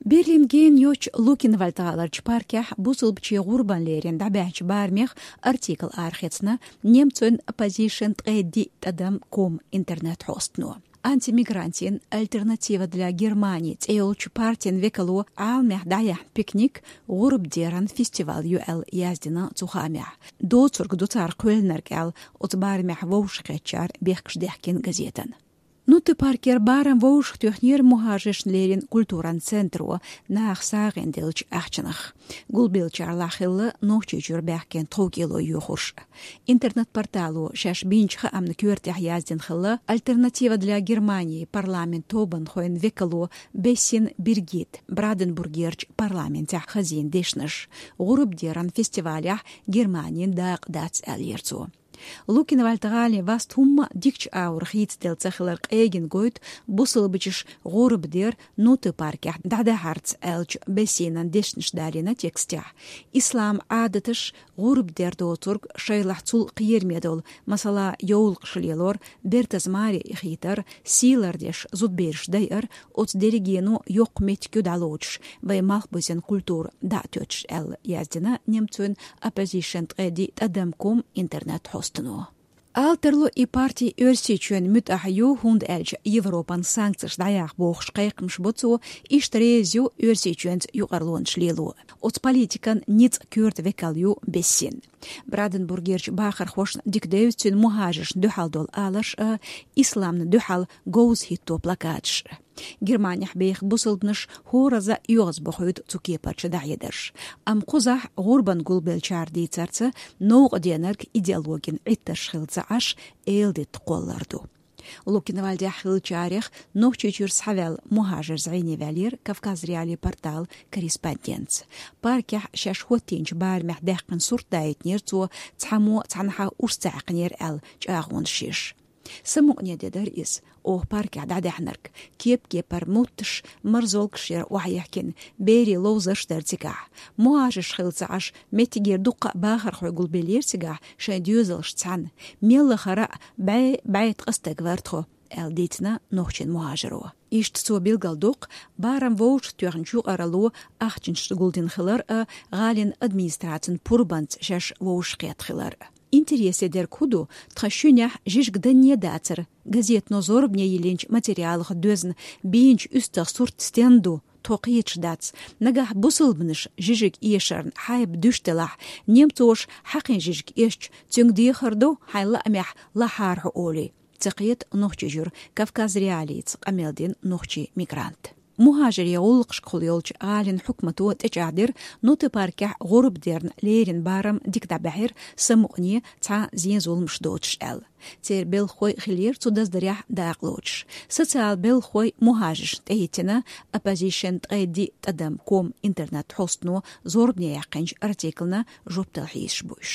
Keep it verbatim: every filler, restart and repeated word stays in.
Берлин гена йоцчу Лукенвальд гӀаларчу паркехь бусалбачийн гӀурбан лерина дӀабаьхьначу барамех артикл арахецна немцойн оппозишн ткъе диъ тӀадам ком интернет-хьостано. Антимигрантийн «Альтернатива для Германии» цӀе йолчу партин векало Ӏаламехь дӀаяьхьна пикник гӀурбан деран фестиваль ю аьлла яздина цу хаамехь. Доцург ду цара кхоьллинарг аьлла, оцу барамехь вовшахкхеттачара бехкаш даьхкина газетана. Нутта-Паркера барам вовшахтоьхнера мухӀажаршна лерина культуран центро, наха сагӀина деллачу ахчанах. Гулбеллачарлахь хилла Нохчийчуьра баьхкина тховкӀело йоьхурш. Интернет-портало шаьш бинчу хаамна коьртехь яздина хилла «Альтернатива для Германии» парламент тобанхойн векало Бессин Биргит Бранденбургерчу парламентехь хазийна дешнаш. ГӀурбан деран фестивалехь Германин дакъа дац аьллера цо. Лукенвальд гӀалин васт хӀумма дикачу агӀор хийцаделла ца хилар къегина гойту бусалбачаш гӀурба дер Нутта-Паркехь дӀадахьарца аьллачу Бессинан дешнаш далийна текстехь. Ислам Ӏадаташ, гӀурба дер доцург, шайлахь цул кхераме долу, масала, йовлакхаш лелор, бертаза маре хетар, сий лардеш зудбераш дайар, оцу дерригено йоккха меттиг ю дӀалоцуш, вайн малхбузен культура дӀа а тоьттуш аьлла, яздина немцойн оппозишн ткъе диъ тӀадам ком интернет-хьостано. Ала тарло и парти Оьрсийчоьнан муьтӀахь ю, хӀунда аьлча Европан санкцеш дӀаяха бохуш кхайкхамаш бо цо, иштта реза ю Оьрсийчоьнца юкъарлонаш лело. Оцу политикан ницкъ коьрта векал ю Бессин. Бранденбургерчу бахархошна дика девза цуьнан мухӀажаршна дуьхьал долу аларш а, исламна дуьхьал говза хӀитто плакаташ а. Германехь беха бусалбанаш хӀоразза оьгӀазбохуьйту цу кепарчу дӀахьедарш. Амма кхузахь гӀурбан гулбеллачара дийцарца, новкъа денарг идеологин Ӏиттарш хилла ца Ӏаш, эладитта кхоллар ду. Лукенвальдехь хиллачарех Нохчийчуьра схьаваьлла мухӀажар зӀене ваьллера Кавказ.Реалии порталан корреспондентца. Паркехь шаьш хӀоттийначу барамехь даьккхина сурт даийтинера цо, цхьаммо цхьанхьа уьш ца Ӏаьккхинера аьлла чӀагӀонаш еш. Самукъане де дара иза, оха паркехь дӀадаьхьнарг. Кеп-кепара мутташ, марзолгаш яра охьаехкина, берийн ловзарш дара цигахь. МухӀажарш хилла ца Ӏаш, меттигера дуккха а бахархой гулбеллера цигахь шайн доьзалшца цхьаьна. Мел лахара а бӀе, бӀе ткъа стаг вара тхо, аьлла дийцина нохчийн мухӀажаро. Иштта цо билгалдоккху, барам вовшахтоьхначу юкъаралло ахчанаш гулдина хилар а, гӀалин администрацин пурбанца шаьш вовшахкхетта хилар а. Интересе дерг хӀун ду, тхан шуьнехь жижиг данне дацара, газетано зорбане йиллинчу материалах доьзна бийначу уьстагӀ сурт стенна ду, тхо кхеташ дац. Нагахь бусалбанаш жижиг эшарна хьайба дуьш делахь, немцоша хьакхин жижиг эшча, цуьнга дехар ду, хьайн лаамехь лахьара хьо олий. Ца кхета Нохчийчуьра Кавказ.Реалиица къамел дина нохчийн мигрант. МухӀажарийн гӀуллакхашкахула йолчу гӀалин хьукмато тӀечӀагӀдира, Нутта-Паркехь гӀурба дерна лерина барам дика дӀабаьхьира, самукъане, цхьа зен-зуламаш доцуш аьлла. Церан белхахой хиллера цу даздарехь дакъа лоцуш. Социал белхахой мухӀажаршна тӀехӀиттина, оппозишн ткъе диъ тӀадам ком интернет-хьостано зорбане яьккхинчу артиклна жоп дала хьийзаш бу уьш.